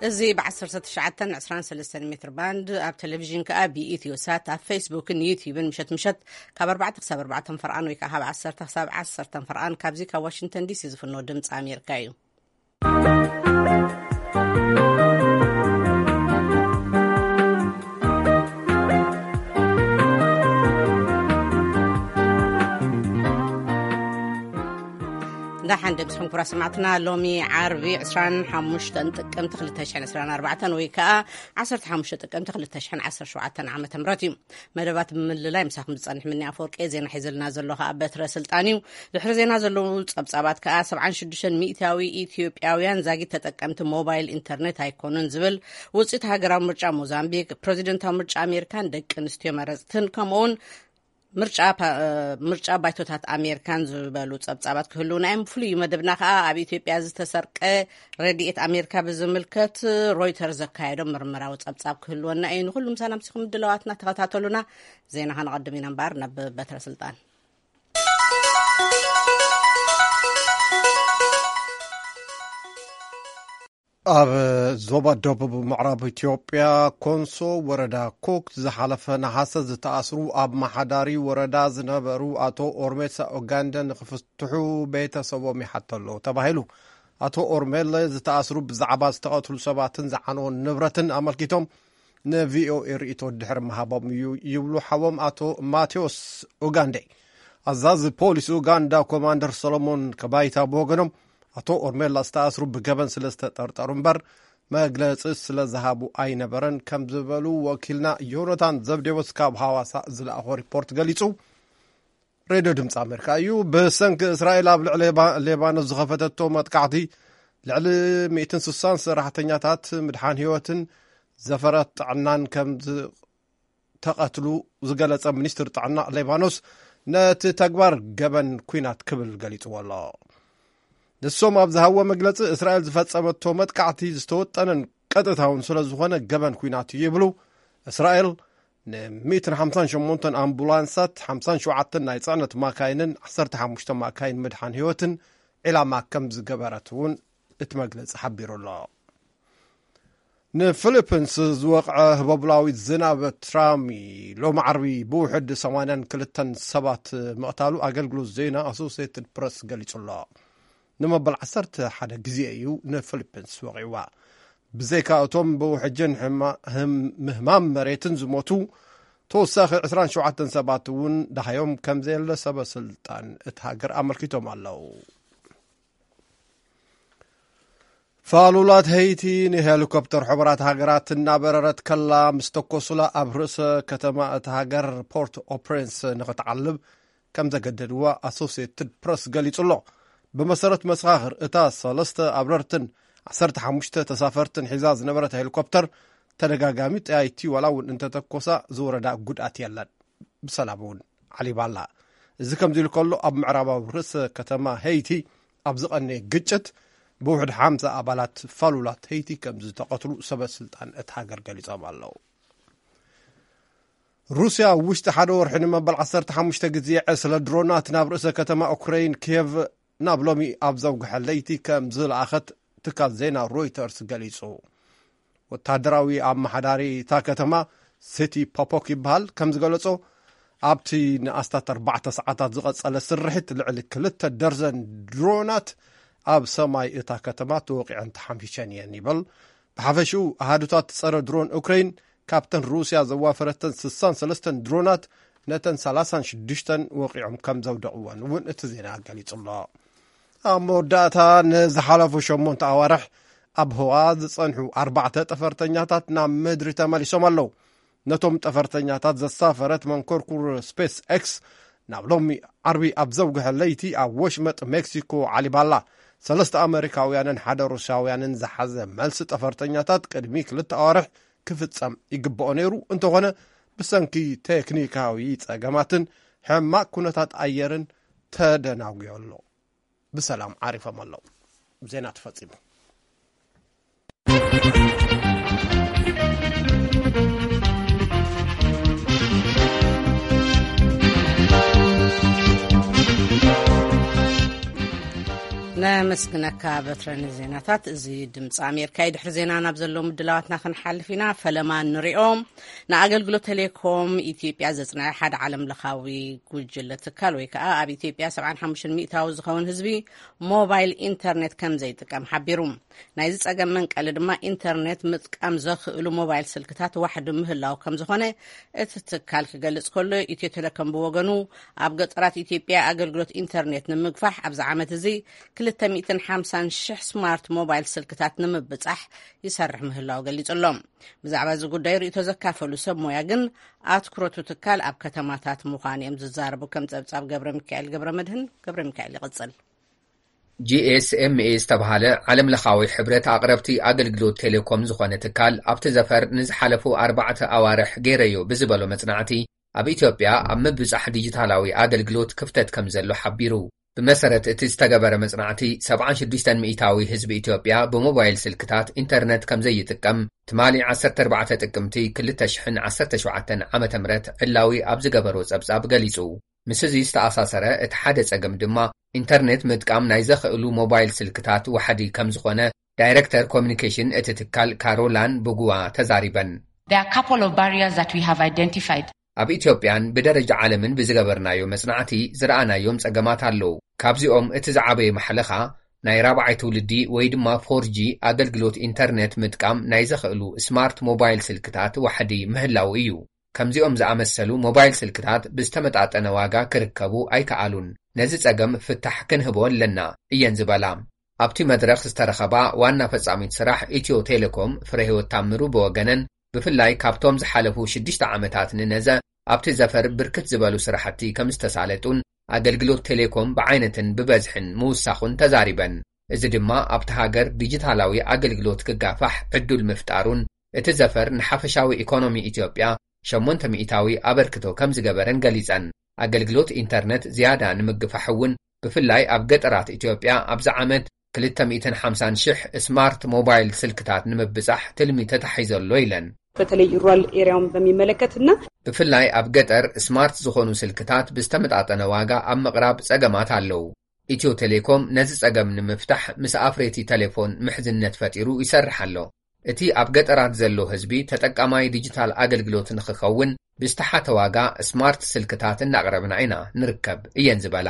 እዚ ብ1923 ሜትር ባንድ ኣብ ቴሌቪዥን ከኣ ብኢትዮ ሳት ኣብ ፌስቡክን ዩቲዩብን ምሸት ምሸት ካብ ኣርባዕተ ክሳብ ኣርባዕተ ፈርቓን ወይ ከኣ ካብ ዓሰርተ ክሳብ ዓሰርተ ፈርቓን ካብዚ ካብ ዋሽንግተን ዲሲ ዝፍኖ ድምፂ ኣሜሪካ እዩ። ደሓን ደምስኹም ክቡራት ሰማዕትና፣ ሎሚ ዓርቢ ዕስራን ሓሙሽተን ጥቅምቲ ክልተ ሽሕን ዕስራን ኣርባዕተን ወይ ከኣ ዓሰርተ ሓሙሽተ ጥቅምቲ ክልተ ሽሕን ዓሰርተ ሸውዓተን ዓመተ ምህረት እዩ። መደባት ብምልላይ ምሳኹም ዝጸንሕ ምኒ ኣፈወርቂ፣ ዜና ሒዘልና ዘሎ ከኣ በትረ ስልጣን እዩ። ድሕሪ ዜና ዘለዉ ጸብጻባት ከኣ ሰብዓን ሽዱሽተን ሚእታዊ ኢትዮጵያውያን ዛጊት ተጠቀምቲ ሞባይል ኢንተርኔት ኣይኮኑን ዝብል ውጽኢት ሃገራዊ ምርጫ ሞዛምቢክ፣ ፕረዚደንታዊ ምርጫ ኣሜሪካን ደቂ ኣንስትዮ መረጽትን ከምኡውን ምርጫ ፓ-፣ ምርጫ ባይቶታት ኣሜሪካን ዝበሉ ጸብጻባት ክህልውና እዮም። ፍሉይ መደብና ከኣ ኣብ ኢትዮጵያ ዝተሰርቀ ረድኤት ኣሜሪካ ብዝምልከት ሮይተርስ ዘካየዶ ምርምራዊ ጸብጻብ ክህልወና እዩ። ንኹሉ ምሳና ምሲኹም ድለዋትና ተኸታተሉና። ዜና ከነቐድም ኢና እምበኣር ናብ በትረ ስልጣን። ኣብ ዞባ ደቡብ ምዕራብ ኢትዮጵያ ኮንሶ ወረዳ ኮክ ዝሓለፈ ነሓሰ ዝተኣስሩ ኣብ መሓዳሪ ወረዳ ዝነበሩ ኣቶ ኦርሜሳ ኦጋንደ ንክፍትሑ ቤተሰቦም ይሓቶ ኣለዉ ተባሂሉ። ኣቶ ኦርሜለ ዝተኣስሩ ብዛዕባ ዝተቐትሉ ሰባትን ዝዓነወን ንብረትን ኣመልኪቶም ንቪኦኤ ርእይቶ ድሕሪ ምሃቦም እዩ ይብሉ ሓዎም ኣቶ ማቴዎስ ኡጋንዴ። ኣዛዚ ፖሊስ ኡጋንዳ ኮማንደር ሰሎሞን ከባይታ ብወገኖም፣ ኣቶ ኦርሜላ ዝተኣስሩ ብገበን ስለ ዝተጠርጠሩ እምበር መግለጺ ስለ ዝሃቡ ኣይነበረን ከም ዝበሉ ወኪልና ዮናታን ዘብዴዎስ ካብ ሃዋሳ ዝለኣኾ ሪፖርት ገሊጹ። ሬድዮ ድምፂ ኣሜሪካ እዩ። ብሰንኪ እስራኤል ኣብ ልዕሊ ሌባ-፣ ሌባኖስ ዝኸፈተቶ መጥቃዕቲ ልዕሊ ሚእትን ስሳን ሰራሕተኛታት ምድሓን ህይወትን ዘፈራት ጥዕናን ከም ዝ-፣ ተቐትሉ ዝገለጸ ሚኒስትር ጥዕና ሌባኖስ፣ ነቲ ተግባር ገበን ኲናት ክብል ገሊጽዎ ኣሎ። ንሶም ኣብ ዝሃብዎ መግለጺ፣ እስራኤል ዝፈጸመቶ መጥቃዕቲ ዝተወጠነን ቀጥታውን ስለ ዝኾነ ገበን ኲናት እዩ ይብሉ። እስራኤል ን158 ኣምቡላንሳት፣ ሓምሳን ሸውዓተን ናይ ጽዕነት ማካይንን ዓሰርተ ሓሙሽተ ማካይን ምድሓን ህይወትን ዒላማ ከም ዝገበረት እውን እቲ መግለጺ ሓቢሩ ኣሎ። ንፊሊፒንስ ዝወቕዐ ህቦብላዊ ዝናብ ትራሚ ሎሚ ዓርቢ ብውሕድ ሰማንያን ክልተን ሰባት ምቕታሉ ኣገልግሎት ዜና ኣሶሲየትድ ፕረስ ገሊጹ ኣሎ። ንመበል ዓሰርተ ሓደ ግዜ እዩ ንፊሊፒንስ ወቒዕዋ። ብዘይካ እቶም ብውሕጅን ሕማ-፣ ህም-፣ ምህማም መሬትን ዝሞቱ፣ ተወሳኺ ዕስራን ሸውዓተን ሰባት እውን ደሃዮም ከም ዘየለ ሰበ ስልጣን እቲ ሃገር ኣመልኪቶም ኣለዉ። ፋሉላት ሄይቲ ንሄሊኮፕተር ሕቡራት ሃገራት እናበረረት ከላ ምስ ተኮሱላ ኣብ ርእሰ ከተማ እቲ ሃገር ፖርት ኦፕሬንስ ንኽትዓልብ ከም ዘገደድዋ ኣሶሲየትድ ፕረስ ገሊጹ ኣሎ። ብመሰረት መሰኻኽር፣ እታ ሰለስተ ኣብረርትን ዓሰርተ ሓሙሽተ ተሳፈርትን ሒዛ ዝነበረት ሄሊኮፕተር ተደጋጋሚ ጠያይቲ ዋላ እውን እንተተኮሳ ዝወረዳ ጉድኣት የለን። ብሰላም እውን ዓሊባላ። እዚ ከምዚ ኢሉ ከሎ፣ ኣብ ምዕራባዊ ርእሰ ከተማ ሄይቲ ኣብ ዝቐነየ ግጭት ብውሕድ ሓምሳ ኣባላት ፋሉላት ሄይቲ ከም ዝተቐትሉ ሰበ ስልጣን እቲ ሃገር ገሊጾም ኣለዉ። ሩስያ ኣብ ውሽጢ ሓደ ወርሒ ንመበል ዓሰርተ ሓሙሽተ ግዜ ዕስለ ድሮናት ናብ ርእሰ ከተማ ኡክረይን ኪየቭ ናብ ሎሚ ኣብ ዘውግሐ ለይቲ ከም ዝለኣኸት ትካል ዜና ሮይተርስ ገሊጹ። ወታደራዊ ኣመሓዳሪ እታ ከተማ፣ ሲቲ ፖፖክ ይበሃል፣ ከም ዝገለጾ፣ ኣብቲ ንኣስታት ኣርባዕተ ሰዓታት ዝቐጸለ ስርሒት ልዕሊ ክልተ ደርዘን ድሮናት ኣብ ሰማይ እታ ከተማ ተወቒዐን ተሓምሺሸን እየን ይብል። ብሓፈሽኡ ኣሃዱታት ጸረ ድሮን ኡክረይን ካብተን ሩስያ ዘዋፈረተን ስሳን ሰለስተን ድሮናት ነተን ሰላሳን ሽዱሽተን ወቒዖም ከም ዘውደቕወን እውን እቲ ዜና ገሊጹ ኣሎ። ኣብ መወዳእታ፣ ንዝሓለፉ ሸሞንተ ኣዋርሕ ኣብ ህዋ ዝጸንሑ ኣርባዕተ ጠፈርተኛታት ናብ ምድሪ ተመሊሶም ኣለዉ። ነቶም ጠፈርተኛታት ዘሳፈረት መንኮርኩር ስፔስ ኤክስ ናብ ሎሚ ዓርቢ ኣብ ዘውግሐ ለይቲ ኣብ ወሽመጥ ሜክሲኮ ዓሊባላ። ሰለስተ ኣመሪካውያንን ሓደ ሩስያውያንን ዝሓዘ መልሲ ጠፈርተኛታት ቅድሚ ክልተ ኣዋርሕ ክፍጸም ይግብኦ ነይሩ። እንተኾነ፣ ብሰንኪ ቴክኒካዊ ጸገማትን ሕማቕ ኩነታት ኣየርን ተደናጒዩ ኣሎ። ብሰላም ዓሪፎም ኣለዉ። ዜና ተፈጺሙ። ኣመስግነካ በትረ ንዜናታት። እዚ ድምፂ ኣሜሪካ እዩ። ድሕሪ ዜና ናብ ዘለዉ ምድላዋትና ክንሓልፍ ኢና። ፈለማ ንሪኦም። ንኣገልግሎት ቴሌኮም ኢትዮጵያ ዘጽንዐ ሓደ ዓለም ለኻዊ ጉጅለ ትካል ወይ ከዓ ኣብ ኢትዮጵያ ሰብዓን ሓሙሽተን ሚእታዊ ዝኸውን ህዝቢ ሞባይል ኢንተርኔት ከም ዘይጥቀም ሓቢሩ። ናይዚ ጸገም መንቀሊ ድማ ኢንተርኔት ምጥቃም ዘኽእሉ ሞባይል ስልክታት ዋሕዲ ምህላው ከም ዝኾነ እቲ ትካል ክገልጽ ከሎ፣ ኢትዮ ቴሌኮም ብወገኑ ኣብ ገጠራት ኢትዮጵያ ኣገልግሎት ኢንተርኔት ንምግፋሕ ኣብዚ ዓመት እዚ ክልተ ሚእትን ሓምሳን ሽሕ ስማርት ሞባይል ስልክታት ንምብጻሕ ይሰርሕ ምህላው ገሊጹ ኣሎ። ብዛዕባ እዚ ጉዳይ ርእይቶ ዘካፈሉ ሰብ ሞያ ግን ኣትኩረቱ ትካል ኣብ ከተማታት ምዃኑ እዮም ዝዛረቡ። ከም ጸብጻብ ገብረ ሚካኤል ገብረ መድህን፣ ገብረ ሚካኤል ይቕጽል። ጂ ኤስ ኤም ኤ ዝተባህለ ዓለም ለኻዊ ሕብረት ኣቕረብቲ ኣገልግሎት ቴሌኮም ዝኾነ ትካል ኣብቲ ዘፈር ንዝሓለፉ ኣርባዕተ ኣዋርሕ ገይረዮ ብዝበሎ መጽናዕቲ ኣብ ኢትዮጵያ ኣብ ምብጻሕ ዲጂታላዊ ኣገልግሎት ክፍተት ከም ዘሎ ሓቢሩ። ብመሰረት እቲ ዝተገበረ መጽናዕቲ ሰብዓን ሽዱሽተን ሚእታዊ ህዝቢ ኢትዮጵያ ብሞባይል ስልክታት ኢንተርነት ከም ዘይጥቀም ትማሊ ዓሰርተ ኣርባዕተ ጥቅምቲ ክልተ ሽሕን ዓሰርተ ሸውዓተን ዓመተ ምህረት ዕላዊ ኣብ ዝገበሮ ጸብጻብ ገሊጹ። ምስ እዚ ዝተኣሳሰረ እቲ ሓደ ጸገም ድማ ኢንተርኔት ምጥቃም ናይ ዘኽእሉ ሞባይል ስልክታት ዋሕዲ ከም ዝኾነ ዳይረክተር ኮሚኒኬሽን እቲ ትካል ካሮላን ብጉዋ ተዛሪበን። There are a couple of barriers that we have identified. ኣብ ኢትዮጵያን ብደረጃ ዓለምን ብዝገበርናዮ መጽናዕቲ ዝረኣናዮም ጸገማት ኣለዉ። ካብዚኦም እቲ ዝዓበየ ማሕለኻ ናይ ራብዓይ ትውልዲ ወይ ድማ ፎር ጂ ኣገልግሎት ኢንተርኔት ምጥቃም ናይ ዘኽእሉ ስማርት ሞባይል ስልክታት ዋሕዲ ምህላው እዩ። ከምዚኦም ዝኣመሰሉ ሞባይል ስልክታት ብዝተመጣጠነ ዋጋ ክርከቡ ኣይከኣሉን። ነዚ ጸገም ፍታሕ ክንህቦ ኣለና እየን ዝበላ። ኣብቲ መድረኽ ዝተረኸባ ዋና ፈጻሚት ስራሕ ኢትዮ ቴሌኮም ፍረህይወት ታምሩ ብወገነን፣ ብፍላይ ካብቶም ዝሓለፉ ሽዱሽተ ዓመታት ንነዘ ኣብቲ ዘፈር ብርክት ዝበሉ ስራሕቲ ከም ዝተሳለጡን ኣገልግሎት ቴሌኮም ብዓይነትን ብበዝሕን ምውሳኹን ተዛሪበን። እዚ ድማ ኣብቲ ሃገር ዲጂታላዊ ኣገልግሎት ክጋፋሕ ዕዱል ምፍጣሩን እቲ ዘፈር ንሓፈሻዊ ኢኮኖሚ ኢትዮጵያ ሸሞንተ ሚእታዊ ኣበርክቶ ከም ዝገበረን ገሊጸን። ኣገልግሎት ኢንተርነት ዝያዳ ንምግፋሕ እውን ብፍላይ ኣብ ገጠራት ኢትዮጵያ ኣብዚ ዓመት ክልተ ሚእትን ሓምሳን ሽሕ ስማርት ሞባይል ስልክታት ንምብጻሕ ትልሚ ተታሒዘ ኣሎ ኢለን። በተለይ ሩራል ኤሪያውን በሚመለከትና ብፍላይ ኣብ ገጠር ስማርት ዝኾኑ ስልክታት ብዝተመጣጠነ ዋጋ ኣብ ምቕራብ ጸገማት ኣለዉ። ኢትዮ ቴሌኮም ነዚ ጸገም ንምፍታሕ ምስ ኣፍረይቲ ቴሌፎን ምሕዝነት ፈጢሩ ይሰርሕ ኣሎ። እቲ ኣብ ገጠራት ዘሎ ህዝቢ ተጠቃማይ ዲጂታል ኣገልግሎት ንኽኸውን ብዝተሓተ ዋጋ ስማርት ስልክታት እናቕረብና ኢና ንርከብ እየን ዝበላ።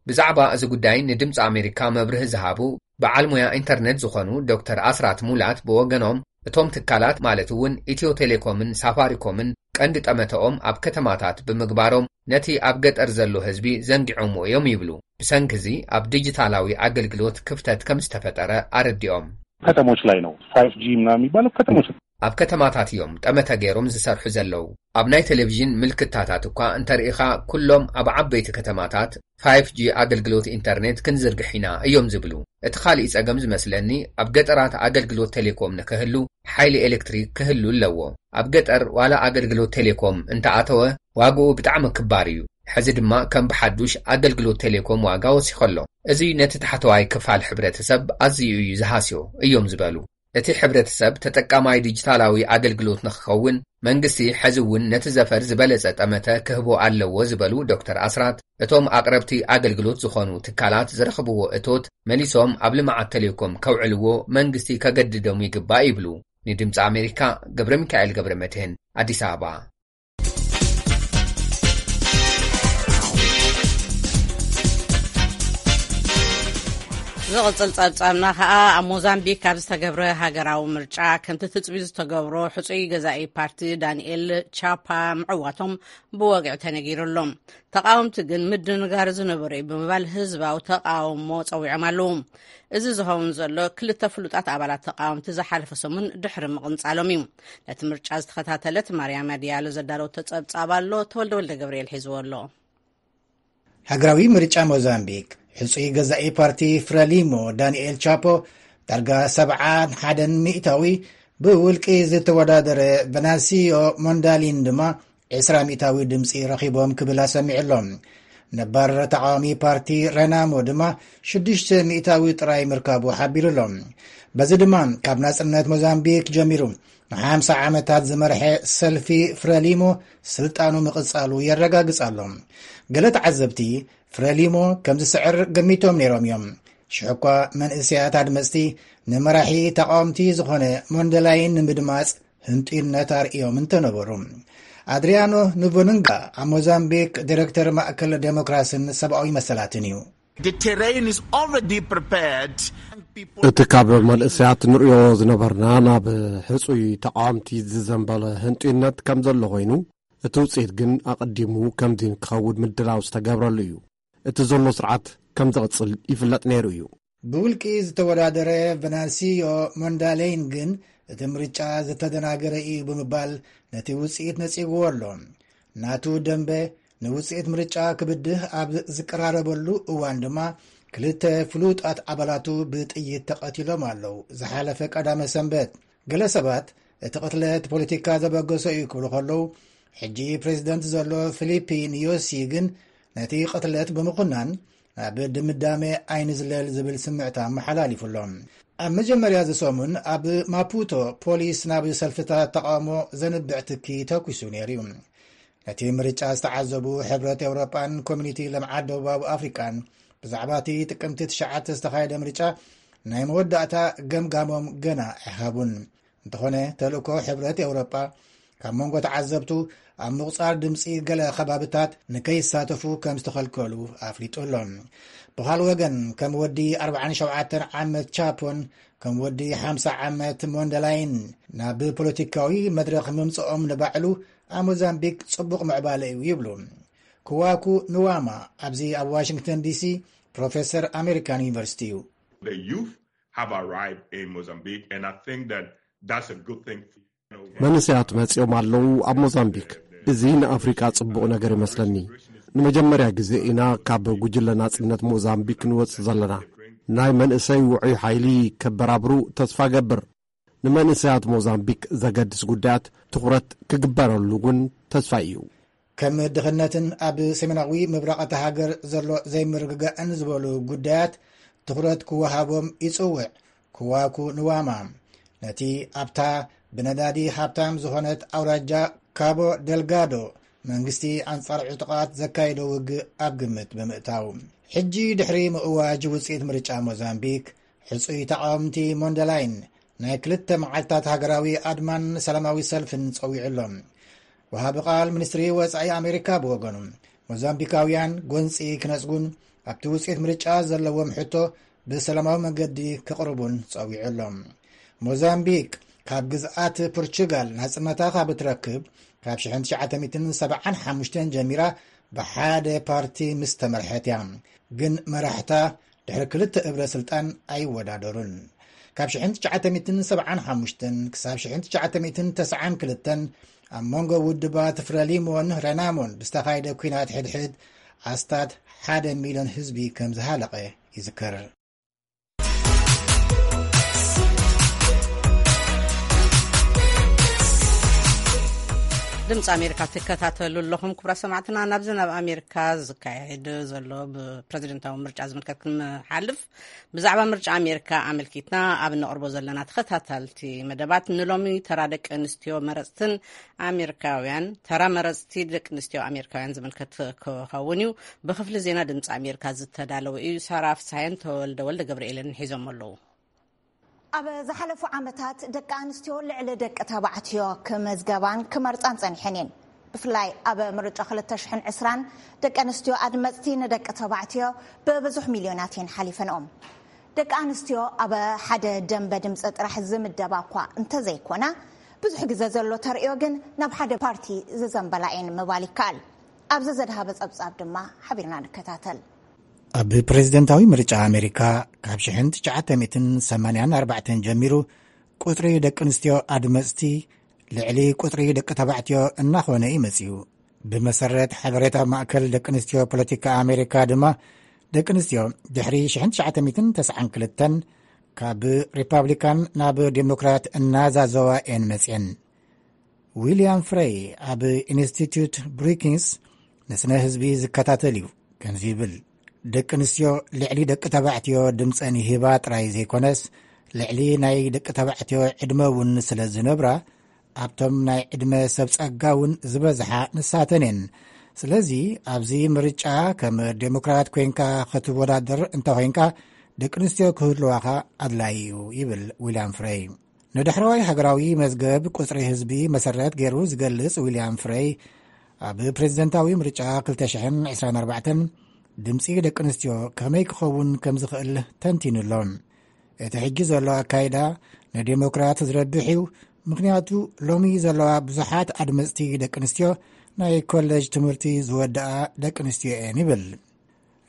ብዛዕባ እዚ ጉዳይ ንድምፂ ኣሜሪካ መብርሂ ዝሃቡ በዓል ሙያ ኢንተርኔት ዝኾኑ ዶክተር ኣስራት ሙላት ብወገኖም፣ እቶም ትካላት ማለት እውን ኢትዮ ቴሌኮምን ሳፋሪኮምን ቀንዲ ጠመተኦም ኣብ ከተማታት ብምግባሮም ነቲ ኣብ ገጠር ዘሎ ህዝቢ ዘንጊዖምዎ እዮም ይብሉ። ብሰንኪ እዚ ኣብ ዲጂታላዊ ኣገልግሎት ክፍተት ከም ዝተፈጠረ ኣረዲኦም። ከተሞች ላይ ነው ፋይቭ ጂ ምናምን የሚባለው ከተሞች ኣብ ከተማታት እዮም ጠመተ ገይሮም ዝሰርሑ ዘለዉ። ኣብ ናይ ቴሌቪዥን ምልክታታት እኳ እንተርኢኻ ኩሎም ኣብ ዓበይቲ ከተማታት ፋይቭ ጂ ኣገልግሎት ኢንተርኔት ክንዝርግሕ ኢና እዮም ዝብሉ። እቲ ካሊእ ጸገም ዝመስለኒ ኣብ ገጠራት ኣገልግሎት ቴሌኮም ንክህሉ ሓይሊ ኤሌክትሪክ ክህሉ ኣለዎ። ኣብ ገጠር ዋላ ኣገልግሎት ቴሌኮም እንተኣተወ ዋግኡ ብጣዕሚ ክባር እዩ። ሕዚ ድማ ከም ብሓዱሽ ኣገልግሎት ቴሌኮም ዋጋ ወሲኸ ኣሎ። እዚ ነቲ ታሕተዋይ ክፋል ሕብረተሰብ ኣዝዩ እዩ ዝሃስዮ እዮም ዝበሉ። እቲ ሕብረተሰብ ተጠቃማይ ዲጂታላዊ ኣገልግሎት ንክኸውን መንግስቲ ሕዚ እውን ነቲ ዘፈር ዝበለጸ ጠመተ ክህቦ ኣለዎ ዝበሉ ዶክተር ኣስራት፣ እቶም ኣቕረብቲ ኣገልግሎት ዝኾኑ ትካላት ዝረኽብዎ እቶት መሊሶም ኣብ ልምዓት ቴሌኮም ከውዕልዎ መንግስቲ ከገድዶም ይግባእ ይብሉ። ንድምፂ ኣሜሪካ ገብረ ሚካኤል ገብረ መድህን ኣዲስ ኣበባ። ዝቕጽል ጸብጻብና ከኣ ኣብ ሞዛምቢክ ኣብ ዝተገብረ ሃገራዊ ምርጫ ከምቲ ትጽቢት ዝተገብሮ ሕጹይ ገዛኢ ፓርቲ ዳንኤል ቻፓ ምዕዋቶም ብወግዒ ተነጊሩ ኣሎ። ተቓወምቲ ግን ምድንጋር ዝነበሮ እዩ ብምባል ህዝባዊ ተቓውሞ ጸዊዖም ኣለዉ። እዚ ዝኸውን ዘሎ ክልተ ፍሉጣት ኣባላት ተቓወምቲ ዝሓለፈ ሰሙን ድሕሪ ምቕንጻሎም እዩ። ነቲ ምርጫ ዝተኸታተለት ማርያማ ዲያሎ ዘዳለወቶ ጸብጻብ ኣሎ። ተወልደ ወልደ ገብርኤል ሒዝዎ ኣሎ። ሃገራዊ ምርጫ ሞዛምቢክ ሕጹይ ገዛኢ ፓርቲ ፍረሊሞ ዳንኤል ቻፖ ዳርጋ ሰብዓን ሓደን ሚእታዊ ብውልቂ ዝተወዳደረ ቨናሲዮ ሞንዳሊን ድማ ዕስራ ሚእታዊ ድምፂ ረኺቦም ክብል ኣሰሚዑ ኣሎ። ነባር ተቃዋሚ ፓርቲ ረናሞ ድማ ሽዱሽተ ሚእታዊ ጥራይ ምርካቡ ሓቢሩ ኣሎ። በዚ ድማ ካብ ናጽነት ሞዛምቢክ ጀሚሩ ንሓምሳ ዓመታት ዝመርሐ ሰልፊ ፍረሊሞ ስልጣኑ ምቕጻሉ የረጋግጽ ኣሎ። ገለ ተዓዘብቲ ፍረሊሞ ከም ዝስዕር ገሚቶም ነይሮም እዮም። ሽሕኳ መንእሰያት ኣድመፅቲ ንመራሒ ተቃወምቲ ዝኾነ ሞንደላይን ንምድማፅ ህንጡይነት ኣርእዮም እንተነበሩ፣ ኣድሪያኖ ንቦንንጋ ኣብ ሞዛምቢክ ዲሬክተር ማእከል ዴሞክራስን ሰብኣዊ መሰላትን እዩ። The terrain is already prepared. እቲ ካብ መንእሰያት ንርእዮ ዝነበርና ናብ ሕጹይ ተቃወምቲ ዝዘንበለ ህንጡይነት ከም ዘሎ ኮይኑ፣ እቲ ውጽኢት ግን ኣቐዲሙ ከምዚ ክኸውን ምድላው ዝተገብረሉ እዩ። እቲ ዘሎ ስርዓት ከም ዝቕጽል ይፍለጥ ነይሩ እዩ። ብውልቂ ዝተወዳደረ ቨናንሲዮ ሞንዳሌይን ግን እቲ ምርጫ ዝተደናገረ እዩ ብምባል ነቲ ውጽኢት ነጺግዎ ኣሎ። ናቱ ደንበ ንውጽኢት ምርጫ ክብድህ ኣብ ዝቀራረበሉ እዋን ድማ ክልተ ፍሉጣት ኣባላቱ ብጥይት ተቐቲሎም ኣለዉ። ዝሓለፈ ቀዳመ ሰንበት ገለ ሰባት እቲ ቅትለት ፖለቲካ ዘበገሶ እዩ ክብሉ ከለዉ፣ ሕጂ ፕሬዚደንት ዘሎ ፊሊፒ ኒዮሲ ግን ነቲ ቅትለት ብምኹናን ናብ ድምዳሜ ኣይንዝለል ዝብል ስምዕታ ኣመሓላሊፉ ኣሎ። ኣብ መጀመርያ ዝሰሙን ኣብ ማፑቶ ፖሊስ ናብ ሰልፍታት ተቃውሞ ዘንብዕ ትኪ ተኩሱ ነይሩ እዩ። ነቲ ምርጫ ዝተዓዘቡ ሕብረት ኤውሮጳን ኮሚኒቲ ልምዓት ደቡባዊ ኣፍሪቃን ብዛዕባ እቲ ጥቅምቲ ትሽዓተ ዝተኻየደ ምርጫ ናይ መወዳእታ ገምጋሞም ገና ኣይሃቡን። እንተኾነ ተልእኮ ሕብረት ኤውሮጳ ካብ መንጎ ተዓዘብቱ ኣብ ምቑጻር ድምፂ ገለ ከባብታት ንከይሳተፉ ከም ዝተኸልከሉ ኣፍሊጡ ኣሎ። ብኻል ወገን ከም ወዲ ኣርባዓን ሸውዓተን ዓመት ቻፖን ከም ወዲ ሓምሳ ዓመት ሞንደላይን ናብ ፖለቲካዊ መድረኽ ምምፅኦም ንባዕሉ ኣብ ሞዛምቢክ ጽቡቕ ምዕባለ እዩ ይብሉ። ክዋኩ ንዋማ ኣብዚ ኣብ ዋሽንግተን ዲሲ ፕሮፌሰር ኣሜሪካን ዩኒቨርሲቲ እዩ። The youth have arrived in Mozambique, and I think that that's a good thing. መንእሰያት መጺኦም ኣለዉ ኣብ ሞዛምቢክ። እዚ ንኣፍሪቃ ጽቡቕ ነገር ይመስለኒ። ንመጀመርያ ግዜ ኢና ካብ ጉጅለ ናጽነት ሞዛምቢክ ንወጽእ ዘለና። ናይ መንእሰይ ውዑይ ሓይሊ ከበራብሩ ተስፋ ገብር። ንመንእሰያት ሞዛምቢክ ዘገድስ ጉዳያት ትኹረት ክግበረሉ እውን ተስፋ እዩ። ከም ድኽነትን ኣብ ሰሜናዊ ምብራቕ እታ ሃገር ዘሎ ዘይምርግጋእን ዝበሉ ጉዳያት ትኹረት ክወሃቦም ይጽውዕ። ክዋኩ ንዋማ ነቲ ኣብታ ብነዳዲ ሃብታም ዝኾነት ኣውራጃ ካቦ ደልጋዶ መንግስቲ ኣንጻር ዕጡቓት ዘካየዶ ውግእ ኣብ ግምት ብምእታው፣ ሕጂ ድሕሪ ምእዋጅ ውጽኢት ምርጫ ሞዛምቢክ፣ ሕጹይ ተቓወምቲ ሞንደላይን ናይ ክልተ መዓልታት ሃገራዊ ኣድማን ሰላማዊ ሰልፍን ጸዊዑ ኣሎ። ወሃቢ ቃል ሚኒስትሪ ወጻኢ ኣሜሪካ ብወገኑ፣ ሞዛምቢካውያን ጎንጺ ክነጽጉን ኣብቲ ውጽኢት ምርጫ ዘለዎም ሕቶ ብሰላማዊ መንገዲ ክቕርቡን ጸዊዑ ኣሎ። ሞዛምቢክ ካብ ግዝኣት ፖርቹጋል ናጽነታ ካብ እትረክብ ካብ ሽሕን ትሽዓተ ሚእትን ሰብዓን ሓሙሽተን ጀሚራ ብሓደ ፓርቲ ምስ ተመርሐት እያ። ግን መራሕታ ድሕሪ ክልተ እብረ ስልጣን ኣይወዳደሩን። ካብ ሽሕን ትሽዓተ ሚእትን ሰብዓን ሓሙሽተን ክሳብ ሽሕን ትሽዓተ ሚእትን ተስዓን ክልተን ኣብ መንጎ ውድባት ፍረሊሞን ረናሞን ብዝተኻየደ ኲናት ሕድሕድ ኣስታት ሓደ ሚልዮን ህዝቢ ከም ዝሃለቐ ይዝከር። ድምፂ ኣሜሪካ ትከታተሉ ኣለኹም ክቡራት ሰማዕትና። ናብዚ ናብ ኣሜሪካ ዝካየድ ዘሎ ብፕረዚደንታዊ ምርጫ ዝምልከት ክንሓልፍ፣ ብዛዕባ ምርጫ ኣሜሪካ ኣመልኪትና ኣብ ነቕርቦ ዘለና ተኸታታልቲ መደባት ንሎሚ ተራ ደቂ ኣንስትዮ መረፅትን ኣሜሪካውያን፣ ተራ መረፅቲ ደቂ ኣንስትዮ ኣሜሪካውያን ዝምልከት ክኸውን እዩ። ብክፍሊ ዜና ድምፂ ኣሜሪካ ዝተዳለወ እዩ። ሳራ ፍስሃየን ተወልደ ወልደ ገብርኤልን ሒዞም ኣለዉ። ኣብ ዝሓለፉ ዓመታት ደቂ ኣንስትዮ ልዕሊ ደቂ ተባዕትዮ ክመዝገባን ክመርጻን ጸኒሐን እየን። ብፍላይ ኣብ ምርጫ ክልተ ሽሕን ዕስራን ደቂ ኣንስትዮ ኣድመጽቲ ንደቂ ተባዕትዮ ብብዙሕ ሚልዮናት እየን ሓሊፈንኦም። ደቂ ኣንስትዮ ኣብ ሓደ ደንበ ድምጺ ጥራሕ ዝምደባ እኳ እንተዘይኮና፣ ብዙሕ ግዜ ዘሎ ተርእዮ ግን ናብ ሓደ ፓርቲ ዝዘንበላ እየን ምባል ይከኣል። ኣብዚ ዘድሃበ ጸብጻብ ድማ ሓቢርና ንከታተል። ኣብ ፕሬዝደንታዊ ምርጫ ኣሜሪካ ካብ ሽሕን ትሽዓተ ሚእትን ሰማንያን ኣርባዕተን ጀሚሩ ቁጽሪ ደቂ ኣንስትዮ ኣድመጽቲ ልዕሊ ቁጽሪ ደቂ ተባዕትዮ እናኾነ እዩ መጺኡ። ብመሰረት ሓበሬታ ማእከል ደቂ ኣንስትዮ ፖለቲካ ኣሜሪካ ድማ፣ ደቂ ኣንስትዮ ድሕሪ ሽሕን ትሽዓተ ሚእትን ተስዓን ክልተን ካብ ሪፓብሊካን ናብ ዴሞክራት እናዛዘዋ እየን መጽየን። ዊልያም ፍሬይ ኣብ ኢንስቲትዩት ብሩኪንግስ ንስነ ህዝቢ ዝከታተል እዩ። ከምዚ ይብል፣ ደቂ ኣንስትዮ ልዕሊ ደቂ ተባዕትዮ ድምፀን ይህባ ጥራይ ዘይኮነስ፣ ልዕሊ ናይ ደቂ ተባዕትዮ ዕድመ እውን ስለ ዝነብራ፣ ኣብቶም ናይ ዕድመ ሰብ ጸጋ እውን ዝበዝሓ ንሳተን እየን። ስለዚ ኣብዚ ምርጫ ከም ዴሞክራት ኮይንካ ክትወዳደር እንተኾይንካ፣ ደቂ ኣንስትዮ ክህልዋኻ ኣድላዪ እዩ ይብል ዊልያም ፍሬይ። ንዳሕረዋይ ሃገራዊ መዝገብ ቁጽሪ ህዝቢ መሰረት ገይሩ ዝገልጽ ዊልያም ፍሬይ፣ ኣብ ፕሬዚደንታዊ ምርጫ ክልተ ሽሕን ዕስራን ኣርባዕተን ድምጺ ደቂ ኣንስትዮ ከመይ ክኸውን ከም ዝኽእል ተንቲኑ ኣሎ። እቲ ሕጂ ዘሎ ኣካይዳ ንዴሞክራት ዝረብሕ እዩ፣ ምኽንያቱ ሎሚ ዘለዋ ብዙሓት ኣድመጽቲ ደቂ ኣንስትዮ ናይ ኮሌጅ ትምህርቲ ዝወደኣ ደቂ ኣንስትዮ እየን ይብል።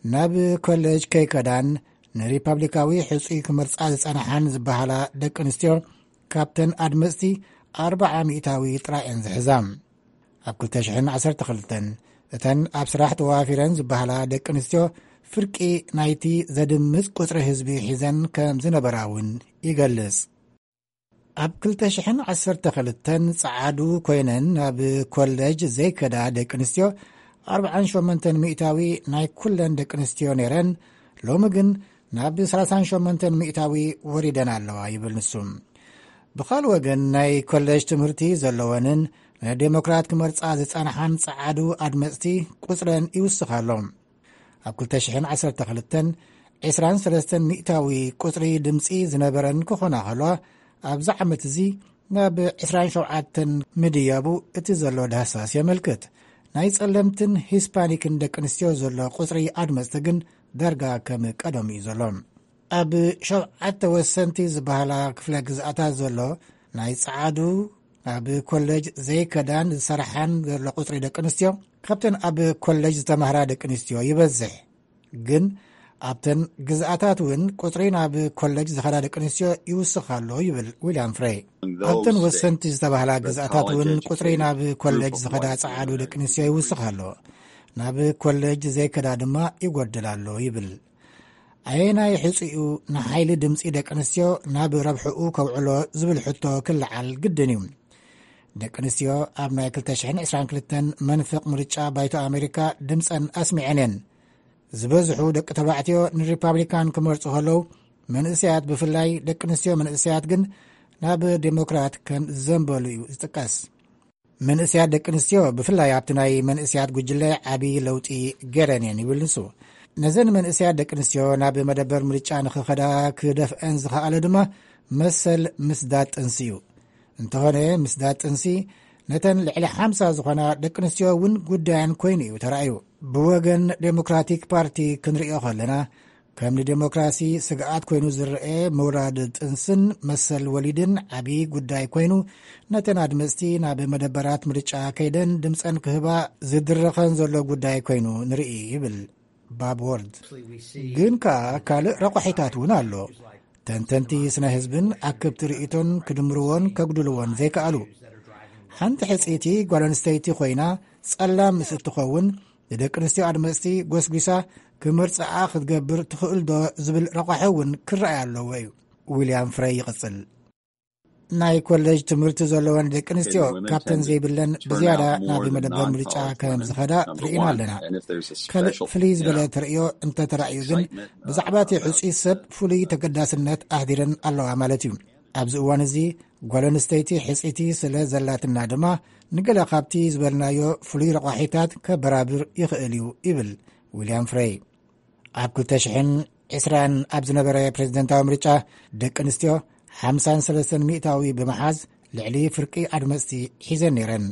ናብ ኮሌጅ ከይከዳን ንሪፓብሊካዊ ሕጹይ ክመርጻ ዝጸንሓን ዝበሃላ ደቂ ኣንስትዮ ካብተን ኣድመጽቲ ኣርብዓ ሚእታዊ ጥራይ እየን ዝሕዛ። ኣብ ክልተ ሽሕን ዓሰርተ ክልተን እተን ኣብ ስራሕ ተዋፊረን ዝበሃላ ደቂ ኣንስትዮ ፍርቂ ናይቲ ዘድምጽ ቁጽሪ ህዝቢ ሒዘን ከም ዝነበራ እውን ይገልጽ። ኣብ ክልተ ሽሕን ዓሰርተ ክልተን ጸዓዱ ኮይነን ናብ ኮሌጅ ዘይከዳ ደቂ ኣንስትዮ ኣርብዓን ሸሞንተን ሚእታዊ ናይ ኩለን ደቂ ኣንስትዮ ነይረን፣ ሎሚ ግን ናብ ሰላሳን ሸሞንተን ሚእታዊ ወሪደን ኣለዋ ይብል ንሱ። ብኻልእ ወገን ናይ ኮሌጅ ትምህርቲ ዘለወንን ንዴሞክራት ክመርጻ ዝጸንሓን ጸዓዱ ኣድመጽቲ ቁጽረን ይውስኽ ኣሎ። ኣብ ክልተ ሽሕን ዓሰርተ ክልተን ዕስራን ሰለስተን ሚእታዊ ቁጽሪ ድምጺ ዝነበረን ክኾና ከለዋ፣ ኣብዚ ዓመት እዚ ናብ ዕስራን ሸውዓተን ምድያቡ እቲ ዘሎ ዳህሳስ የመልክት። ናይ ጸለምትን ሂስፓኒክን ደቂ ኣንስትዮ ዘሎ ቁጽሪ ኣድመጽቲ ግን ዳርጋ ከም ቀደሙ እዩ ዘሎ። ኣብ ሸውዓተ ወሰንቲ ዝበሃላ ክፍለ ግዝኣታት ዘሎ ናይ ጸዓዱ ኣብ ኮሌጅ ዘይከዳን ዝሰርሓን ዘሎ ቁጽሪ ደቂ ኣንስትዮ ካብተን ኣብ ኮሌጅ ዝተማህራ ደቂ ኣንስትዮ ይበዝሕ። ግን ኣብተን ግዝኣታት እውን ቁጽሪ ናብ ኮሌጅ ዝኸዳ ደቂ ኣንስትዮ ይውስኽ ኣሎ ይብል ዊልያም ፍሬይ። ኣብተን ወሰንቲ ዝተባህላ ግዝኣታት እውን ቁጽሪ ናብ ኮሌጅ ዝኸዳ ጸዓዱ ደቂ ኣንስትዮ ይውስኽ ኣሎ፣ ናብ ኮሌጅ ዘይከዳ ድማ ይጎድል ኣሎ ይብል። ኣየናይ ሕጹ እዩ ንሓይሊ ድምጺ ደቂ ኣንስትዮ ናብ ረብሕኡ ከውዕሎ ዝብል ሕቶ ክለዓል ግድን እዩ። ደቂ ኣንስትዮ ኣብ ናይ ክልተ ሽሕን ዕስራን ክልተን መንፍቕ ምርጫ ባይቶ ኣሜሪካ ድምጸን ኣስሚዐን እየን። ዝበዝሑ ደቂ ተባዕትዮ ንሪፓብሊካን ክመርጹ ከለዉ፣ መንእሰያት፣ ብፍላይ ደቂ ኣንስትዮ መንእሰያት ግን ናብ ዴሞክራት ከም ዝዘንበሉ እዩ ዝጥቀስ። መንእሰያት ደቂ ኣንስትዮ ብፍላይ ኣብቲ ናይ መንእሰያት ጉጅለ ዓቢ ለውጢ ገይረን እየን ይብል ንሱ። ነዘን መንእሰያት ደቂ ኣንስትዮ ናብ መደበር ምርጫ ንኽኸዳ ክደፍአን ዝኸኣለ ድማ መሰል ምስዳድ ጥንሲ እዩ። እንተኾነ ምስዳድ ጥንሲ ነተን ልዕሊ ሓምሳ ዝኾና ደቂ ኣንስትዮ እውን ጉዳየን ኮይኑ እዩ ተራእዩ። ብወገን ዴሞክራቲክ ፓርቲ ክንርእዮ ከለና፣ ከም ንዴሞክራሲ ስግኣት ኮይኑ ዝረአ ምውራድ ጥንስን መሰል ወሊድን ዓቢ ጉዳይ ኮይኑ፣ ነተን ኣድመጽቲ ናብ መደበራት ምርጫ ከይደን ድምጸን ክህባ ዝድረኸን ዘሎ ጉዳይ ኮይኑ ንርኢ ይብል ባብ ዎርድ። ግን ከኣ ካልእ ረቋሒታት እውን ኣሎ። ተንተንቲ ስነ ህዝብን ኣክብቲ ርእይቶን ክድምርዎን ከጉድልዎን ዘይከኣሉ። ሓንቲ ሕጽይቲ ጓል ኣንስተይቲ ኮይና ጸላም ምስ እትኸውን፣ ንደቂ ኣንስትዮ ኣድመጽቲ ጎስጒሳ ክምርጽኣ ክትገብር ትኽእል ዶ ዝብል ረቋሒ እውን ክረኣይ ኣለዎ እዩ። ዊልያም ፍረይ ይቕጽል። ናይ ኮሌጅ ትምህርቲ ዘለወን ደቂ ኣንስትዮ ካብተን ዘይብለን ብዝያዳ ናብ መደበር ምርጫ ከም ዝኸዳ ርኢና ኣለና። ካልእ ፍልይ ዝበለ ተርእዮ እንተተራእዩ ግን፣ ብዛዕባ እቲ ሕጹይ ሰብ ፍሉይ ተገዳስነት ኣሕዲረን ኣለዋ ማለት እዩ። ኣብዚ እዋን እዚ ጓል ኣንስተይቲ ሕጽይቲ ስለ ዘላትና ድማ፣ ንገለ ካብቲ ዝበልናዮ ፍሉይ ረቋሒታት ከበራብር ይኽእል እዩ ይብል ዊልያም ፍሬይ። ኣብ ክልተ ሽሕን ዕስራን ኣብ ዝነበረ ፕሬዝደንታዊ ምርጫ፣ ደቂ ኣንስትዮ ሓምሳን ሰለስተን ሚእታዊ ብምሓዝ ልዕሊ ፍርቂ ኣድመጽቲ ሒዘን ነይረን።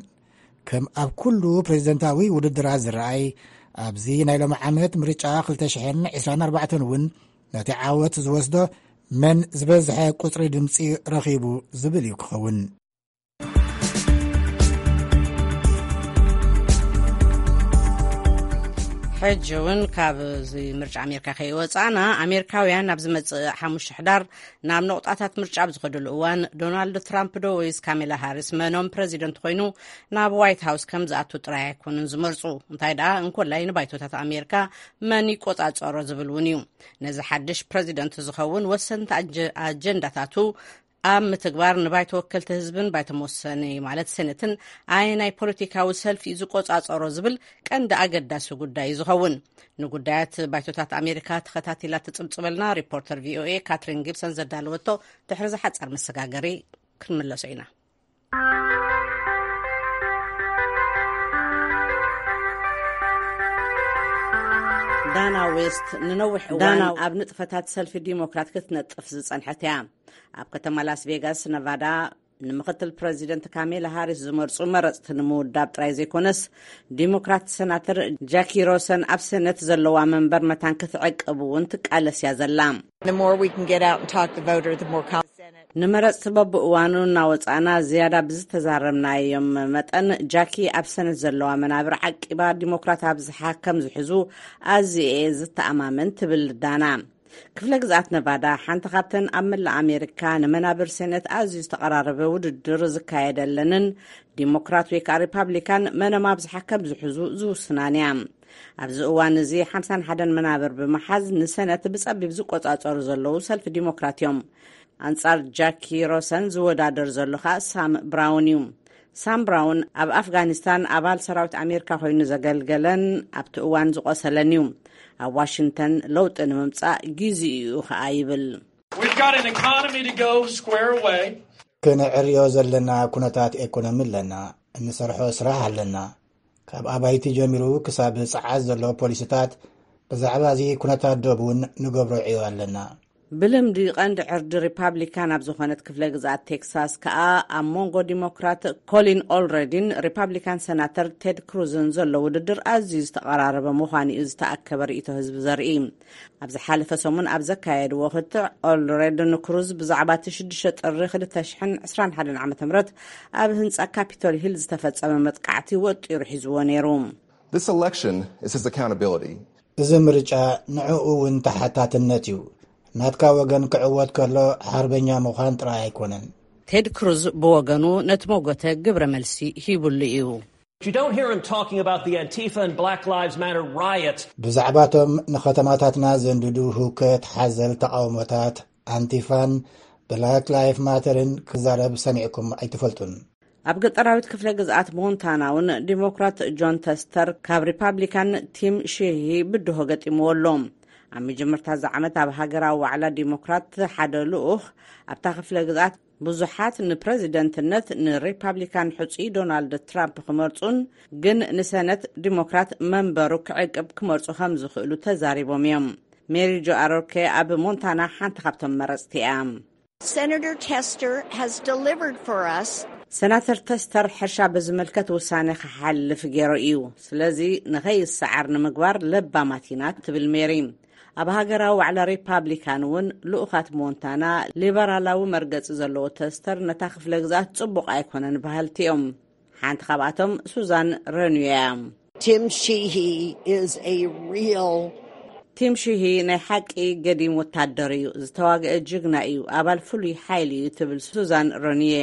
ከም ኣብ ኩሉ ፕሬዝደንታዊ ውድድራት ዝረኣይ፣ ኣብዚ ናይ ሎሚ ዓመት ምርጫ ክልተ ሽሕን ዕስራን ኣርባዕተን እውን ነቲ ዓወት ዝወስዶ መን ዝበዝሐ ቁጽሪ ድምጺ ረኺቡ ዝብል እዩ ክኸውን። ሕጂ እውን ካብ እዚ ምርጫ ኣሜሪካ ከይወፃእና፣ ኣሜሪካውያን ኣብ ዝመፅእ ሓሙሽተ ሕዳር ናብ ነቑጣታት ምርጫ ኣብ ዝኸድሉ እዋን፣ ዶናልድ ትራምፕ ዶ ወይስ ካሜላ ሃሪስ መኖም ፕረዚደንት ኮይኑ ናብ ዋይት ሃውስ ከም ዝኣቱ ጥራይ ኣይኮኑን ዝመርፁ። እንታይ ደኣ እንኮላይ ንባይቶታት ኣሜሪካ መን ይቆፃፀሮ ዝብል እውን እዩ። ነዚ ሓድሽ ፕረዚደንት ዝኸውን ወሰንቲ ኣጀ-፣ ኣጀንዳታቱ ኣብ ምትግባር ንባይቶ ወከልቲ ህዝብን ባይቶ መወሰኒ ማለት ሴኔትን ኣየናይ ፖለቲካዊ ሰልፊ እዩ ዝቆጻጸሮ ዝብል ቀንዲ ኣገዳሲ ጉዳይ እዩ ዝኸውን። ንጉዳያት ባይቶታት ኣሜሪካ ተኸታቲላ ትጽብጽበልና ሪፖርተር ቪኦኤ ካትሪን ጊብሰን ዘዳለወቶ ድሕሪ ዝሓጸር መሰጋገሪ ክንምለሶ ኢና። ዳና ዌስት ንነዊሕ እዋን ኣብ ንጥፈታት ሰልፊ ዲሞክራት ክትነጥፍ ዝጸንሐት እያ። ኣብ ከተማ ላስ ቬጋስ ነቫዳ ንምክትል ፕረዚደንት ካሜላ ሃሪስ ዝመርጹ መረጽቲ ንምውዳብ ጥራይ ዘይኮነስ፣ ዲሞክራት ሰናተር ጃኪ ሮሰን ኣብ ሰነት ዘለዋ መንበር መታን ክትዕቅብ እውን ትቃለስ እያ ዘላ። The more we can get out and talk the voter, the more confidence. ንመረጽቲ በብእዋኑ እናወጻእና ዝያዳ ብዝተዛረብናዮም መጠን፣ ጃኪ ኣብ ሰነት ዘለዋ መናብር ዓቂባ ዲሞክራት ኣብዝሓ ከም ዝሕዙ ኣዝየ እየ ዝተኣማመን ትብል ዳና። ክፍለ ግዝኣት ነቫዳ ሓንቲ ካብተን ኣብ መላእ ኣሜሪካ ንመናብር ሴኔት ኣዝዩ ዝተቐራረበ ውድድር ዝካየደለንን ዲሞክራት ወይ ከዓ ሪፓብሊካን መነም ኣብዝሓ ከም ዝሕዙ ዝውስናን እያ። ኣብዚ እዋን እዚ ሓምሳን ሓደን መናብር ብምሓዝ ንሰነት ብጸቢብ ዝቆጻጸሩ ዘለዉ ሰልፊ ዲሞክራት እዮም። ኣንጻር ጃኪ ሮሰን ዝወዳደር ዘሎ ከዓ ሳም ብራውን እዩ። ሳም ብራውን ኣብ ኣፍጋኒስታን ኣባል ሰራዊት ኣሜሪካ ኮይኑ ዘገልገለን ኣብቲ እዋን ዝቆሰለን እዩ። ኣብ ዋሽንግተን ለውጢ ንምምጻእ ግዜኡ ከዓ ይብል። We've got an economy to go square away. ክንዕርዮ ዘለና ኩነታት ኤኮኖሚ ኣለና። እንሰርሖ ስራሕ ኣለና። ካብ ኣባይቲ ጀሚሩ ክሳብ ጸዓት ዘሎ ፖሊሲታት፣ ብዛዕባ እዚ ኩነታት ዶብ እውን ንገብሮ ዕዮ ኣለና። ብልምዲ ቀንዲ ዕርዲ ሪፓብሊካን ኣብ ዝኾነት ክፍለ ግዝኣት ቴክሳስ ከኣ ኣብ መንጎ ዲሞክራት ኮሊን ኦልሬዲን ሪፓብሊካን ሰናተር ቴድ ክሩዝን ዘሎ ውድድር ኣዝዩ ዝተቐራረበ ምዃኑ እዩ ዝተኣከበ ርእይቶ ህዝቢ ዘርኢ። ኣብ ዝሓለፈ ሰሙን ኣብ ዘካየድዎ ክትዕ፣ ኦልሬድ ንክሩዝ ብዛዕባ እቲ ሽዱሽተ ጥሪ ክልተ ሽሕን ዕስራን ሓደን ዓመተ ምህረት ኣብ ህንጻ ካፒቶል ሂል ዝተፈጸመ መጥቃዕቲ ወጢሩ ሒዝዎ ነይሩ። This election is his accountability. እዚ ምርጫ ንዕኡ እውን ተሓታትነት እዩ። ናትካ ወገን ክዕወት ከሎ ሓርበኛ ምዃን ጥራይ ኣይኮነን። ቴድ ክሩዝ ብወገኑ ነቲ መጎተ ግብረ መልሲ ሂቡሉ እዩ። You don't hear him talking about the Antifa and Black Lives Matter riots. ብዛዕባቶም ንኸተማታትና ዘንድዱ ህውከት ሓዘል ተቓውሞታት ኣንቲፋን ብላክ ላይፍ ማተርን ክዛረብ ሰሚዕኩም ኣይትፈልጡን። ኣብ ገጠራዊት ክፍለ ግዝኣት ሞንታና እውን ዲሞክራት ጆን ተስተር ካብ ሪፓብሊካን ቲም ሺሂ ብድሆ ገጢምዎ ኣሎ። ኣብ መጀመርታ እዚ ዓመት ኣብ ሃገራዊ ዋዕላ ዲሞክራት ሓደ ልኡኽ ኣብታ ክፍለ ግዝኣት ብዙሓት ንፕረዚደንትነት ንሪፓብሊካን ሕጹይ ዶናልድ ትራምፕ ክመርጹን ግን ንሰነት ዲሞክራት መንበሩ ክዕቅብ ክመርጹ ከም ዝኽእሉ ተዛሪቦም እዮም። ሜሪ ጆ ኣሮርኬ ኣብ ሞንታና ሓንቲ ካብቶም መረጽቲ እያ። Senator Tester has delivered for us. ሰናተር ተስተር ሕርሻ ብዝምልከት ውሳነ ክሓልፍ ገይሩ እዩ። ስለዚ ንኸይሰዓር ንምግባር ለባማት ኢና ትብል ሜሪ። ኣብ ሃገራዊ ዋዕላ ሪፓብሊካን እውን ልኡኻት ሞንታና ሊበራላዊ መርገጺ ዘለዎ ተስተር ነታ ክፍለ ግዝኣት ጽቡቕ ኣይኮነን በሃልቲ እዮም። ሓንቲ ካብኣቶም ሱዛን ረኑዮ እያ። Tim Sheehy is a real ቲም ሺሂ ናይ ሓቂ ገዲም ወታደር እዩ፣ ዝተዋግአ ጅግና እዩ፣ ኣባል ፍሉይ ሓይሊ እዩ ትብል ሱዛን ረኑየ።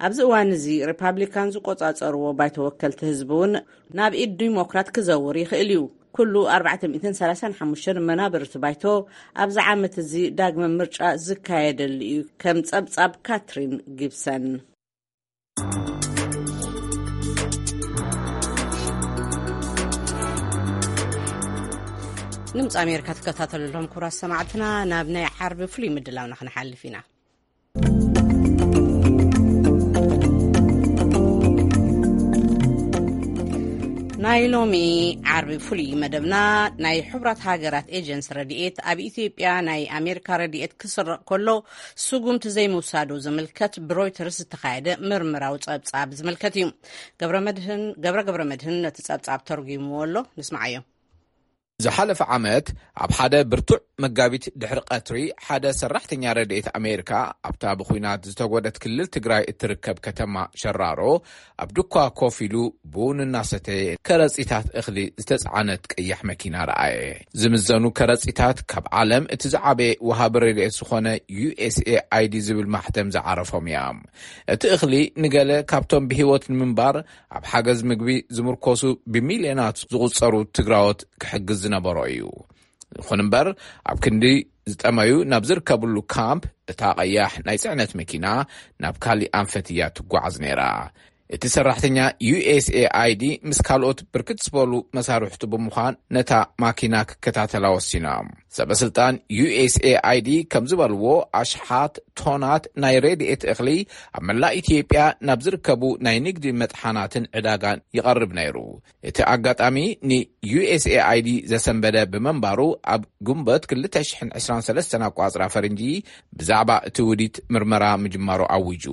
ኣብዚ እዋን እዚ ሪፓብሊካን ዝቆጻጸርዎ ባይቶ ወከልቲ ህዝቢ እውን ናብ ኢድ ዲሞክራት ክዘውር ይኽእል እዩ። ኩሉ ኣርባዕተ ሚእትን ሰላሳን ሓሙሽተን መናብርቲ ባይቶ ኣብዚ ዓመት እዚ ዳግመ ምርጫ ዝካየደሉ እዩ። ከም ጸብጻብ ካትሪን ጊብሰን። ድምፂ ኣሜሪካ ትከታተሉ ኣለኹም ክቡራት ሰማዕትና። ናብ ናይ ዓርቢ ፍሉይ ምድላውና ክንሓልፍ ኢና። ናይ ሎሚ ዓርቢ ፍሉይ መደብና፣ ናይ ሕቡራት ሃገራት ኤጀንሲ ረድኤት ኣብ ኢትዮጵያ ናይ ኣሜሪካ ረድኤት ክስረቕ ከሎ ስጉምቲ ዘይምውሳዱ ዝምልከት ብሮይተርስ ዝተኻየደ ምርምራዊ ጸብጻብ ዝምልከት እዩ። ገብረ መድህን፣ ገብረ ገብረ መድህን ነቲ ጸብጻብ ተርጒምዎ ኣሎ። ንስምዓዮ። ዝሓለፈ ዓመት ኣብ ሓደ ብርቱዕ መጋቢት ድሕሪ ቀትሪ፣ ሓደ ሰራሕተኛ ረድኤት ኣሜሪካ ኣብታ ብኹናት ዝተጎደት ክልል ትግራይ እትርከብ ከተማ ሸራሮ ኣብ ድኳ ኮፍ ኢሉ ቡን እናሰተየ ከረጺታት እኽሊ ዝተጻዕነት ቀያሕ መኪና ረኣየ። ዝምዘኑ ከረጺታት ካብ ዓለም እቲ ዝዓበየ ወሃቢ ረድኤት ዝኾነ ዩ ኤስ ኤ ኣይ ዲ ዝብል ማሕተም ዝዓረፎም እዮም። እቲ እኽሊ ንገለ ካብቶም ብህይወት ንምንባር ኣብ ሓገዝ ምግቢ ዝምርኮሱ ብሚልዮናት ዝቑጸሩ ትግራዎት ክሕግዝ ዝነበሮ እዩ። ይኹን እምበር፣ ኣብ ክንዲ ዝጠመዩ ናብ ዝርከብሉ ካምፕ፣ እታ ቀያሕ ናይ ጽዕነት መኪና ናብ ካሊእ ኣንፈት እያ ትጓዓዝ ነይራ። እቲ ሰራሕተኛ ዩ ኤስ ኤ ኣይ ዲ ምስ ካልኦት ብርክት ዝበሉ መሳርሕቱ ብምዃን ነታ ማኪና ክከታተላ ወሲና። ሰበስልጣን ዩ ኤስ ኤ ኣይ ዲ ከም ዝበልዎ፣ ኣሽሓት ቶናት ናይ ረድኤት እኽሊ ኣብ መላእ ኢትዮጵያ ናብ ዝርከቡ ናይ ንግዲ መጥሓናትን ዕዳጋን ይቐርብ ነይሩ። እቲ ኣጋጣሚ ን ዩ ኤስ ኤ ኣይ ዲ ዘሰንበደ ብምንባሩ፣ ኣብ ግንቦት ክልተ ሽሕን ዕስራን ሰለስተን ኣቋጽራ ፈረንጂ ብዛዕባ እቲ ውዲት ምርመራ ምጅማሩ ኣዊጁ።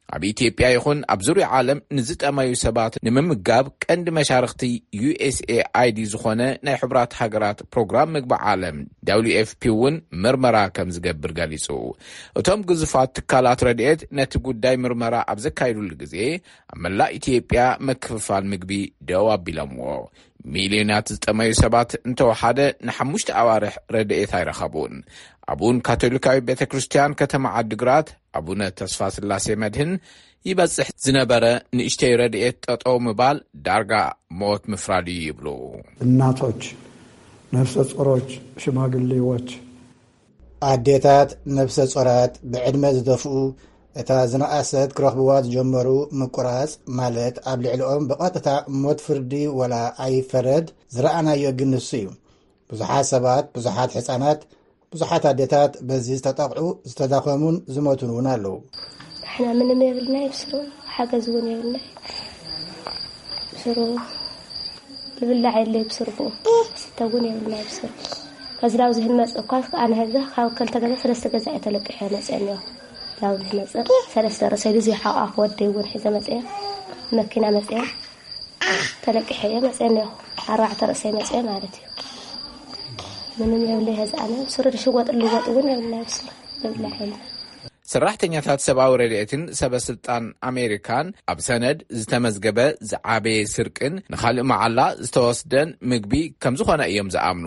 ኣብ ኢትዮጵያ ይኹን ኣብ ዙርያ ዓለም ንዝጠመዩ ሰባት ንምምጋብ ቀንዲ መሻርኽቲ ዩ ኤስ ኤ ኣይ ዲ ዝኾነ ናይ ሕቡራት ሃገራት ፕሮግራም ምግቢ ዓለም፣ ደብሊው ኤፍ ፒ፣ እውን ምርመራ ከም ዝገብር ገሊጹ። እቶም ግዙፋት ትካላት ረድኤት ነቲ ጉዳይ ምርመራ ኣብ ዘካይዱሉ ግዜ፣ ኣብ መላእ ኢትዮጵያ ምክፍፋል ምግቢ ደው ኣቢሎምዎ። ሚልዮናት ዝጠመዩ ሰባት እንተወሓደ ንሓሙሽተ ኣዋርሕ ረድኤት ኣይረኸቡን። ኣቡን ካቶሊካዊ ቤተ ክርስቲያን ከተማ ዓዲግራት ኣቡነ ተስፋ ስላሴ መድህን፣ ይበጽሕ ዝነበረ ንእሽተይ ረድኤት ጠጠው ምባል ዳርጋ ሞት ምፍራድ እዩ ይብሉ። እናቶች፣ ነፍሰ ጡሮች፣ ሽማግሌዎች፣ ኣዴታት፣ ነፍሰ ጾራት፣ ብዕድመ ዝደፍኡ፣ እታ ዝነኣሰት ክረኽብዋ ዝጀመሩ ምቁራጽ ማለት ኣብ ልዕሊኦም ብቐጥታ ሞት ፍርዲ ወላ ኣይፈረድ ዝረኣናዮ ግን ንሱ እዩ። ብዙሓት ሰባት፣ ብዙሓት ሕጻናት፣ ብዙሓት ኣዴታት በዚ ዝተጠቕዑ፣ ዝተዳኸሙን ዝሞቱን እውን ኣለዉ። ንሕና ምንም የብልና ይብስሩ፣ ሓገዝ እውን የብልና። ብስሩ ዝብላዕ የለ ይብስሩ፣ ብኡ ስተ እውን የብልና ይብስሩ። ከዚ ናብ ዝህል መጽእ እኳ ኣነ ህዛ ካብ ከልተ ገዛ ሰለስተ ገዛ እየ ተለቂሐ መጽአ እኒኦ። ናብ ዝህል መጽእ ሰለስተ ርእሰይ ልዙ ሓቋፍ ወደይ እውን ሒዘ መጽአ፣ መኪና መጽአ ተለቂሐ እየ መጽአ እኒኦ። ኣርባዕተ ርእሰይ መጽአ ማለት እዩ። ምንም የብለይ ህዚ ኣነ ብስሩ ድሽወጥ ልወጥ እውን የብልና ይብስሩ፣ ዝብላዕ የብልና። ሰራሕተኛታት ሰብኣዊ ረድኤትን ሰበስልጣን ኣሜሪካን ኣብ ሰነድ ዝተመዝገበ ዝዓበየ ስርቅን ንኻልእ መዓላ ዝተወስደን ምግቢ ከም ዝኾነ እዮም ዝኣምኑ።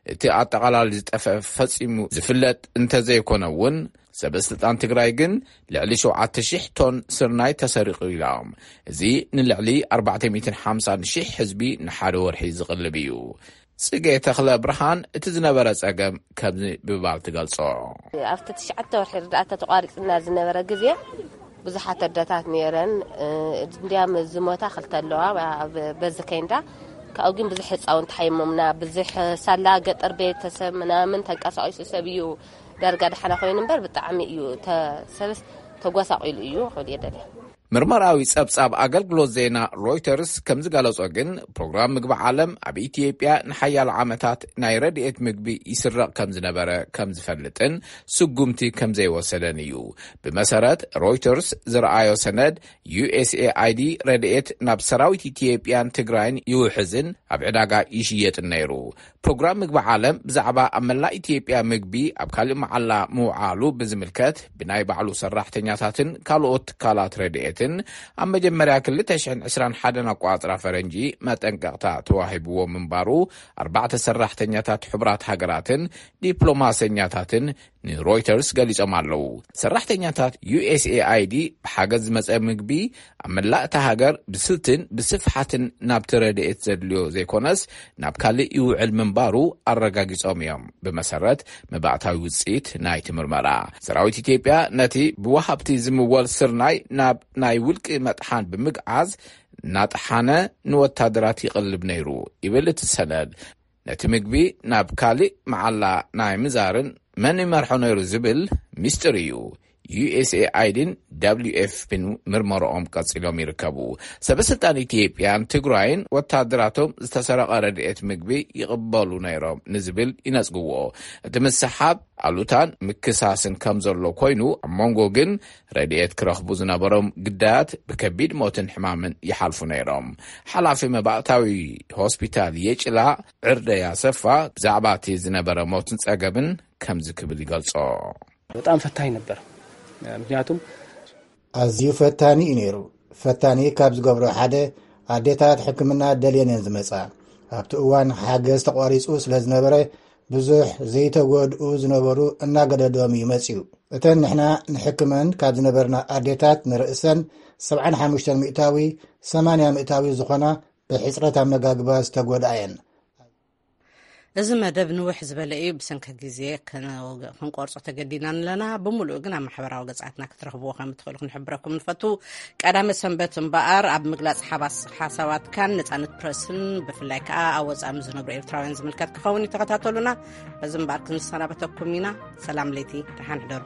እቲ ኣጠቓላሊ ዝጠፍአ ፈጺሙ ዝፍለጥ እንተዘይኮነ እውን፣ ሰበስልጣን ትግራይ ግን ልዕሊ ሸውዓተ ሺሕ ቶን ስርናይ ተሰሪቑ ኢሎም። እዚ ንልዕሊ ኣርባዕተ ሚእትን ሓምሳን ሺሕ ህዝቢ ንሓደ ወርሒ ዝቕልብ እዩ። ጽጌ ተኽለ ብርሃን እቲ ዝነበረ ጸገም ከምዚ ብምባል ትገልጾ። ኣብቲ ትሽዓተ ወርሒ ርዳእታ ተቋሪጽና ዝነበረ ግዜ ብዙሓት ኣደታት ነይረን። እ፣ እንዲያም ዝሞታ ክልተ ኣለዋ፣ ኣብ በዚ ከይንዳ። ካብኡ ግን ብዙሕ ህፃውንቲ ሓይሞምና፣ ብዙሕ ሳላ ገጠር ቤተሰብ ምናምን ተንቀሳቒሱ ሰብ እዩ ዳርጋ ደሓና ኮይኑ እምበር ብጣዕሚ እዩ ተ-፣ ሰብስ ተጓሳቒሉ እዩ ክብል እየ ደልየ። ምርመራዊ ጸብጻብ ኣገልግሎት ዜና ሮይተርስ ከም ዝገለጾ ግን፣ ፕሮግራም ምግቢ ዓለም ኣብ ኢትዮጵያ ንሓያሎ ዓመታት ናይ ረድኤት ምግቢ ይስረቕ ከም ዝነበረ ከም ዝፈልጥን ስጉምቲ ከም ዘይወሰደን እዩ። ብመሰረት ሮይተርስ ዝረኣዮ ሰነድ፣ ዩ ኤስ ኤ ኣይ ዲ ረድኤት ናብ ሰራዊት ኢትዮጵያን ትግራይን ይውሕዝን ኣብ ዕዳጋ ይሽየጥን ነይሩ። ፕሮግራም ምግቢ ዓለም ብዛዕባ ኣብ መላእ ኢትዮጵያ ምግቢ ኣብ ካልእ መዓላ ምውዓሉ ብዝምልከት፣ ብናይ ባዕሉ ሰራሕተኛታትን ካልኦት ትካላት ረድኤትን ኣብ መጀመርያ ክልተ ሽሕን ዕስራን ሓደን ኣቋጽራ ፈረንጂ መጠንቀቕታ ተዋሂብዎ ምንባሩ፣ ኣርባዕተ ሰራሕተኛታት ሕቡራት ሃገራትን ዲፕሎማሰኛታትን ንሮይተርስ ገሊጾም ኣለዉ። ሰራሕተኛታት ዩ ኤስ ኤ ኣይ ዲ ብሓገዝ ዝመጸ ምግቢ ኣብ መላእ እታ ሃገር ብስልትን ብስፍሓትን ናብቲ ረድኤት ዘድልዮ ዘይኮነስ፣ ናብ ካልእ ይውዕል ምንባሩ ኣረጋጊጾም እዮም፣ ብመሰረት መባእታዊ ውጽኢት ናይቲ ምርመራ። ሰራዊት ኢትዮጵያ ነቲ ብወሃብቲ ዝምወል ስርናይ ናብ ናይ ውልቂ መጥሓን ብምግዓዝ እናጠሓነ ንወታደራት ይቕልብ ነይሩ ይብል እቲ ሰነድ። ነቲ ምግቢ ናብ ካልእ መዓላ ናይ ምዛርን መን ይመርሖ ነይሩ ዝብል ሚስጥር እዩ። ዩ ኤስ ኤ ኣይ ዲን ደብሊው ኤፍ ፒን ምርመራኦም ቀጺሎም ይርከቡ። ሰበስልጣን ኢትዮጵያን ትግራይን ወታደራቶም ዝተሰረቐ ረድኤት ምግቢ ይቕበሉ ነይሮም ንዝብል ይነጽግዎ። እቲ ምስሓብ ኣሉታን ምክሳስን ከም ዘሎ ኮይኑ፣ ኣብ መንጎ ግን ረድኤት ክረኽቡ ዝነበሮም ግዳያት ብከቢድ ሞትን ሕማምን ይሓልፉ ነይሮም። ሓላፊ መባእታዊ ሆስፒታል የጭላ ዕርደ ያሰፋ ብዛዕባ እቲ ዝነበረ ሞትን ጸገምን ከምዚ ክብል ይገልጾ። በጣም ፈታኝ ነበር። ምክንያቱም ኣዝዩ ፈታኒ እዩ ነይሩ። ፈታኒ ካብ ዝገብሮ ሓደ፣ ኣዴታት ሕክምና ደልየን እየን ዝመጻ። ኣብቲ እዋን ሓገዝ ተቋሪጹ ስለ ዝነበረ፣ ብዙሕ ዘይተጎድኡ ዝነበሩ እናገደዶም እዩ መጺኡ። እተን ንሕና ንሕክመን ካብ ዝነበርና ኣዴታት ንርእሰን ሰብዓን ሓሙሽተን ሚእታዊ፣ ሰማንያ ሚእታዊ ዝኾና ብሕጽረት ኣመጋግባ ዝተጎድኣ እየን። እዚ መደብ ንውሕ ዝበለ እዩ። ብሰንኪ ግዜ ክንቆርጾ ተገዲና ኣለና። ብምሉኡ ግን ኣብ ማሕበራዊ ገጻትና ክትረኽብዎ ከም እትኽእሉ ክንሕብረኩም ንፈቱ። ቀዳመ ሰንበት እምበኣር ኣብ ምግላጽ ሓባስ ሓሳባትካን ነጻነት ፕረስን ብፍላይ ከኣ ኣብ ወጻኢ ዝነብሩ ኤርትራውያን ዝምልከት ክኸውን እዩ። ተኸታተሉና። በዚ እምበኣር ክንሰናበተኩም ኢና። ሰላም ለይቲ፣ ደሓን ሕደሩ።